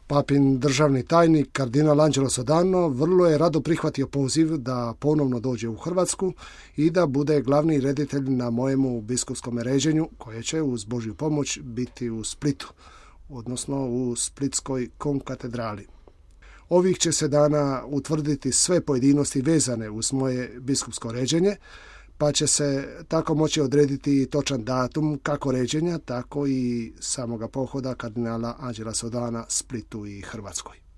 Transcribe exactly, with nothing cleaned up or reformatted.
Papin državni tajnik kardinal Angelo Sodano vrlo je rado prihvatio poziv da ponovno dođe u Hrvatsku i da bude glavni reditelj na mojemu biskupskom ređenju koje će uz Božju pomoć biti u Splitu, odnosno u Splitskoj konkatedrali. Ovih će se dana utvrditi sve pojedinosti vezane uz moje biskupsko ređenje, pa će se tako moći odrediti točan datum kako ređenja, tako i samoga pohoda kardinala Angela Sodana Splitu i Hrvatskoj.